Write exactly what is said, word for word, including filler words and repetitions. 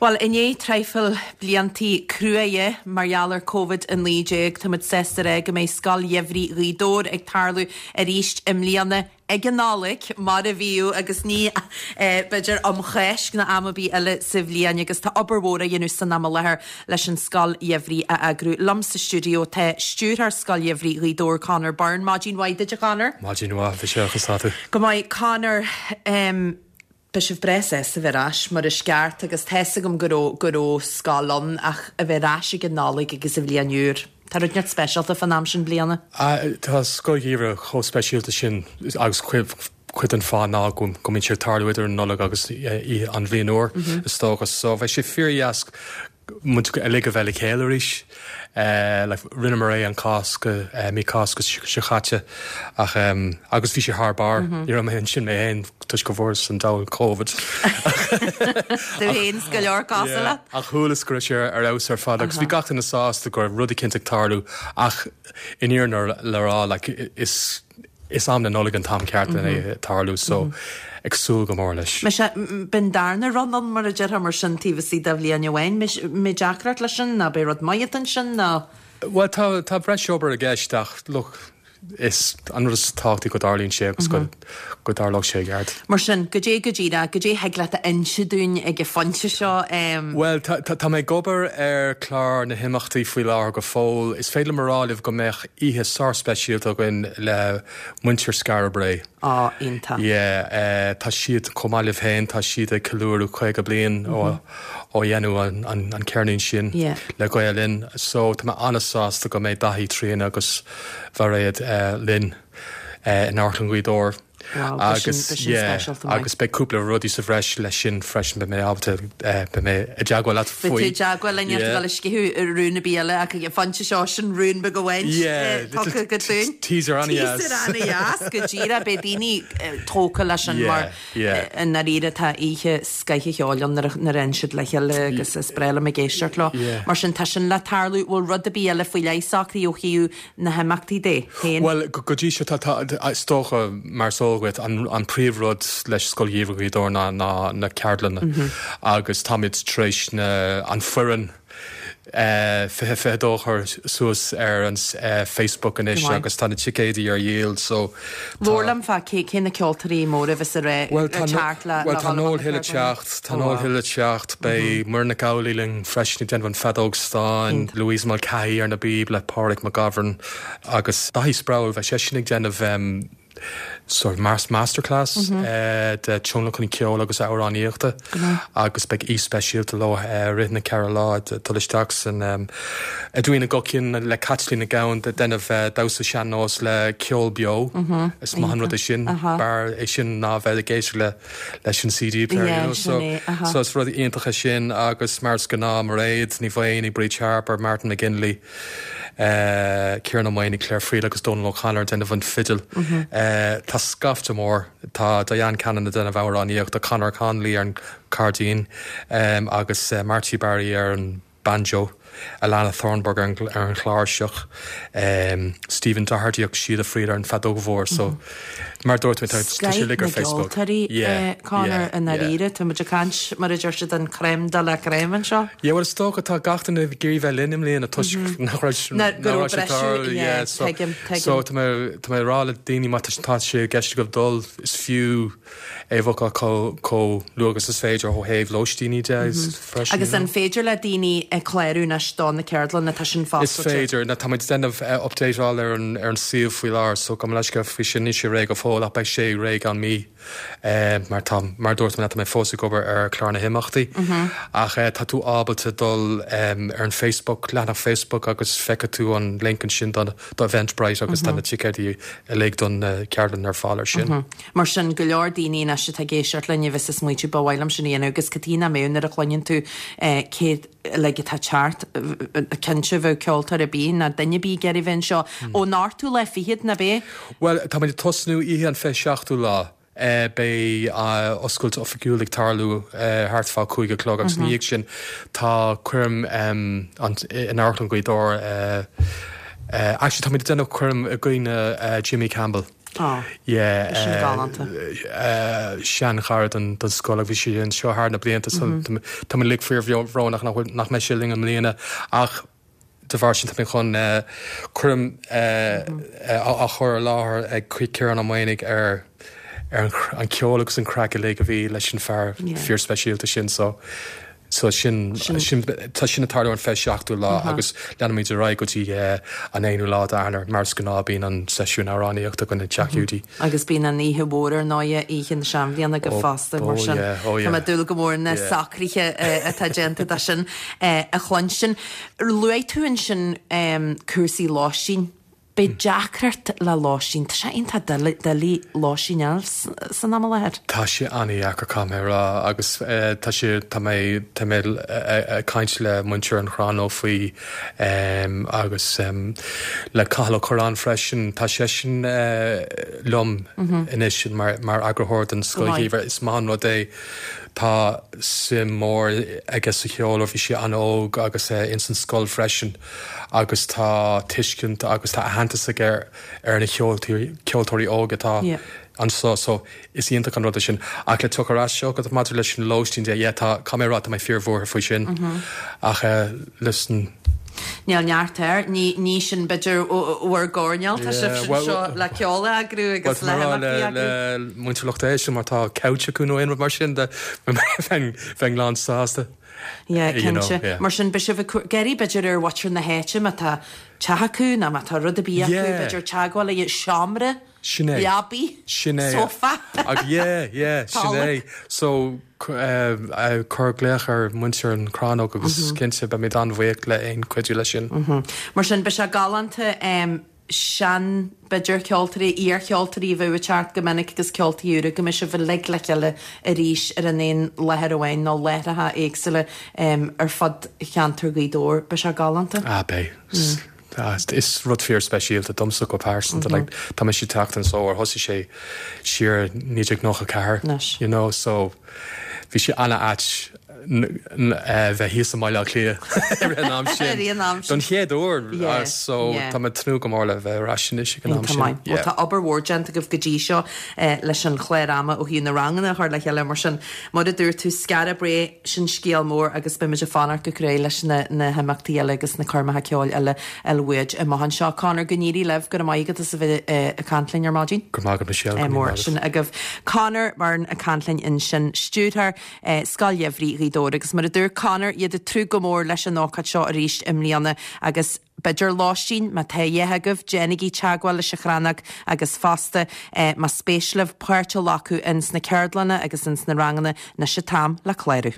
Well, i ndiaidh traidhfil bliantaí cruaidhe mar gheall ar Covid a naoi déag, táimid sásta a rá go mbeidh Scoil Gheimhridh Ghaoth Dobhair ag tarlú arís i mbliana ag an Nollaig, mar a bhíodh, agus ní b'fhéidir um Cháisc ná am ar bith eile sa bhliain, agus tá obair mhór á dhéanamh san am i láthair leis an Scoil Gheimhridh a eagrú. Liom sa stiúideo tá Stiúrthóir Scoil Gheimhridh Ghaoth Dobhair, Conor Byrne. Maidin mhaith duit, a Chonor. Maidin mhaith, bhí sé chun tú. Go maith, Conor. Um, Beidh sibh breá sásta bheith ar ais mar is ceart agus tá 'fhios agam go raibh go raibh scoil ann ach a bheith ar ais ag an Nollaig agus an bhliain úr. Tá rud inteacht speisialta fán am sin bliana. Tá Scoil Gheimhridh chomh speisialta sin agus cuid den fáth ná go go mbíonn sé ag tarlú idir an Nollaig agus an bhliain úr is dócha. So bheidh sé fíordheas muid uilig a bheith le chéile arís. Like rinneamar é an Cásc mí Cásca seo caite ach um, agus bhí sé thar barr mm -hmm. Ní raibh mé ansin mé féin toisc go bhfuaireas an diabhal Covid. Du héin go leor cosúla? Ach chualas go raibh sé ar fheabhas ar fad agus bhí gach duine sásta go raibh rud éicint ag tarlú ach in fhírinne le rá like, is is am na Nollag an t-am ceart mm -hmm. tarlú so mm -hmm. ag súil go mór leis. Me bin darna run an mar a deirtear mar sin taobh istigh de bhliain amháin mé deacracht leis sin ná beidh rud maith ansin ná. Well tá tá breis obair i gceist ach look is an rud is tábhachtaí go dtarlaíonn sé agus go go dtarlóidh sé i gceart. Mar sin go dé go díreach go dé thig leat a inse dúinn ag an phointe seo. Um... Well tá mé ag obair ar chlár na himeachtaí faoi láthair go fóill. Is féidir liom a rá libh go mbeidh oíche sár-speisialta againn le muintir Skara Brae. Á iontach. Yeah, uh, tá siad chomh maith libh féin tá siad ag ceiliúradh caoga bliain ó ó dhéanamh an, an, an ceirnín sin yeah. le Gael Linn. So tá mé an-sásta go mbeidh Daithí Tríona agus Mhairéad uh, linn uh, in Amharclann Ghaoth Dobhair. Wow, agus yeah, agus beidh cúpla rudaí sa bhreis leis sin freisin beidh mé ábalta beidh mé i dteagmháil leat faoi. Beidh tú i dteagmháil linn le sceitheadh rún ar bith eile ach ag an phointe seo sin rún beag amháin tugtha go dúinn. Teaser an-dheas. Teaser an-dheas go díreach beidh daoine tógtha leis sin mar i ndáiríre tá oíche scoth cheoil ann nuair a théann siad le chéile agus is breá liom ag éisteacht leo. Mar sin tá sin le tarlú bhfuil rud ar bith eile faoi leith socraithe ó thaobh na himeachtaí de féin. Well go dtí seo tá is dócha mar so dhuit an, an príomhrud leis Scoil Gheimhridh Ghaoth Dobhair ná, ná na ceardlanna mm -hmm. agus táimid tar éis na an foireann uh, fiche fiche dó chur suas ar an uh, Facebook anois agus tá na ticéidí ar dhíol so Labhair liom fá cé cé na ceoltóirí móra a bheas ar Well tá teacht le well tá Noel Hill ag teacht tá Noel Hill ag teacht beidh Muireann Nic Amhlaoibh linn freisin ag déanamh an feadóg stáin Louise Mulcahy ar na bpíob le Pádraig McGovern agus Daithí Sproule bheidh sé sin ag déanamh um, sort of masterclass mm -hmm. uh, de tionlacan ceol agus amhránaíochta agus beidh aoi speisialta leo uh, rith na ceithre lá dul isteach san um, Edwina Guckian le Caitlín Nic Gabhann ag déanamh uh, damhsa sean-nós le ceol beo mm -hmm. is maith an rud é sin b'fhearr é sin ná bheith ag éisteacht le leis an CD player yeah, you know? so, uh-huh. so is rud iontach sin agus mar is gnáth Mairéad Ní Mhaonaigh Bríd Harper Martin McGinley uh, Kieran Ó Maonaigh Claire Friel agus Donal O'Connor déanamh an fidil mm -hmm. uh, Tá scaifte mór tá Diane Cannon ag déanamh amhránaíocht Conor Connolly ar an cairdín um, agus uh, Marty Barry ar an banjo Alana Thornburg ar an, ar an chláirseach um, Stephen Doherty agus Síle Friel ar an feadóg mhór so mm -hmm. mar dúirt mé tá sé uilig ar Facebook yeah, Conor i ndáiríre tá muid ag caint mar a deir siad an crème de la crème anseo? Yeah, well is dócha tá gach duine ag iarraidh bheith linn i mbliana toisc nach raibh so so tá mé tá mé rá le daoine má tá sé i gceist agaibh dul is fiú é bhookáil chomh luath agus is féidir ó thaobh lóistíní de freisin. Agus an féidir le daoine ag clárú anois do na ceardlanna tá sin Is foscailte. féidir na tá muid déanamh updateáil ar an ar an suíomh faoi láthair so gabh mo leithscéal faoi sin níl sé réidh go fóill ach beidh sé réidh an mí eh, mar tá mar dúirt mé tá mé fós ag obair ar chlár na himeachtaí ach eh, tá tú ábalta dul um, ar an Facebook leathanach Facebook agus feicfidh tú an link ansin don do Eventbrite agus tá na ticéidí uilig don uh, ceardlann ar fáil ar sin. Mar sin go leor daoine anois atá ag éisteacht linn bheas ag smaointiú ba mhaith liom sin a dhéanamh agus cad chuige nach mbeadh nuair a chluineann tú eh, cé uilig atá ag teacht cinnte bheadh ceoltóir ar bith ná duine ar bith ag iarraidh bheith anseo ón ochtú lá fichead ná bé? Well tá muid ag tosnú oíche an fiche seachtú lá. Uh, beidh uh, oscailt oifigiúil ag tarlú uh, thart fá cúig a chlog agus mm -hmm. ina dhiaidh sin tá coirm um, an, in Amharclann Ghaoth Dobhair uh, uh, actually tá muid ag déanamh coirm i gcuimhne uh, Jimmy Campbell. Oh, Yeah, sin eh, galánta. eh, seanchara den den scoil bhí sé anseo thar na blianta so tá mé uilig fíorbhrónach nach bhfuil- nach mbeidh sé linn i mbliana ach de bharr sin tá mé chun eh, coirm eh, eh, á á chur i láthair ag Ciarán Ó Maonaigh ar ar an cr- an ceol agus an craic uilig a bhí leis an fear Yeah. fíorspeisialta sin so so sin Sin- sin tá sin ag tarlú an fiche seachtú lá agus leanfaimid ar aghaidh go dtí eh, an aonú lá d'Eanáir mar is gnáth bíonn an seisiún amhránaíochta againn i dTeach Hiúdaí. Agus bíonn an oíche mhór ar ndóigh oíche na seanbhliana go Oh, fosta mar oh, sin. yeah, oh, Tá yeah. mé ag dúil go mór na Yeah. socruithe eh, atá déanta de sin eh, a chluinstin. Luaigh tú ansin um, cúrsaí lóistín. Beidh deacracht le lóistín, Tá sé iontach doiligh lóistín eil san am i láthair. Tá sé an-deacair caithfidh mé a rá agus eh, tá sé tá mé tá mé eh, ag caint le muintir an Chrannóg faoi um, agus um, le Cathal Ó Curráin freisin tá sé sin uh, liom anois mar mar eagarthóir den Go maith. scoil is maith an rud é tá suim mór aige sa cheol ó bhí sé an-óg agus uh, ins an scoil freisin agus tá tuiscint agus tá aitheantas aige ar na ceoltóirí ceoltóirí óga atá Yeah. anseo so is iontach an rud sin ach le tuach seo go maidir leis an lóistín de yeah, tá camerá mé fíorbhuartha faoi sin ach uh, listen Níl neart air, ní ní sin b'fhéidir bhur gcoirnéal tá Yeah, sibh well- seo le ceol a eagrú agus le himeachtaí a eagrú. le muintir lucht éisteachta mar tá couch acu nó aon rud mar sin de bheinn bheinn lán sásta. Yeah, You know, cinnte. yeah. Mar sin bheadh sibh ag iarraidh b'fhéidir ar mhuintir na háite má tá teach acu nó má tá rud ar bith acu Yeah. b'fhéidir teagmháil le seomra, Sin é. leabaidh, Sin é. sofa. Ag yeah, yeah, sin é. So uh, uh, cuir glaoch ar muintir an Chrannóg agus cinnte beimid an-bhuíoch le aon chuidiú leis sin. Mar sin bheadh sé galánta um, sean b'fhéidir ceoltóirí iarcheoltóirí bheith ag teacht go minic agus ceoltóirí úra go mbeidh sibh uilig le chéile arís ar an aon láthair amháin nó láithreacha éagsúla um, ar fud cheantar Ghaoth Dobhair bheadh sé galánta. Ah bé. Ah, is rud fíorspeisialta domsa go pearsanta like, tá mé ag teacht anseo ó thosaigh sé siar naoi déag nócha ceathair Anois. you know so bhí sé an-ait bheith thíos i mBaile Átha Cliath ar an am sin. Ar an am sin. Don chéad uair Yeah, so yeah. tá mé ag tnúth go mór le bheith ar ais anois ag an am Tá sin. maith. Well, Tá obair mhór déanta agaibh go dtí seo eh, leis an chlár ama ó thaobh na ranganna a chur le chéile mar sin mar a dúirt tú Skara Brae sin scéal mór agus beimid ag fanacht go crua leis na, na himeachtaí eile agus na coirmeacha ceoil eile eile amach anseo. Conor go n-éirí libh go maith agus a bheith eh, ag caint linn ar maidin. Go maith Michelle. Eh, mór sin agaibh Conor mar ag caint linn ansin stiúrthóir eh, Scoil Gheimhridh Ghaoth Dobhair agus mar a dúirt Conor iad ag tnúth go mór leis an ócáid seo arís i mbliana agus b'fhéidir lóistín má tá agaibh déanaigí teagmháil leis an Chrannóg agus fosta eh, má spéis libh páirt a ghlacadh ins na ceardlanna agus ins na ranganna anois an t-am le clárú.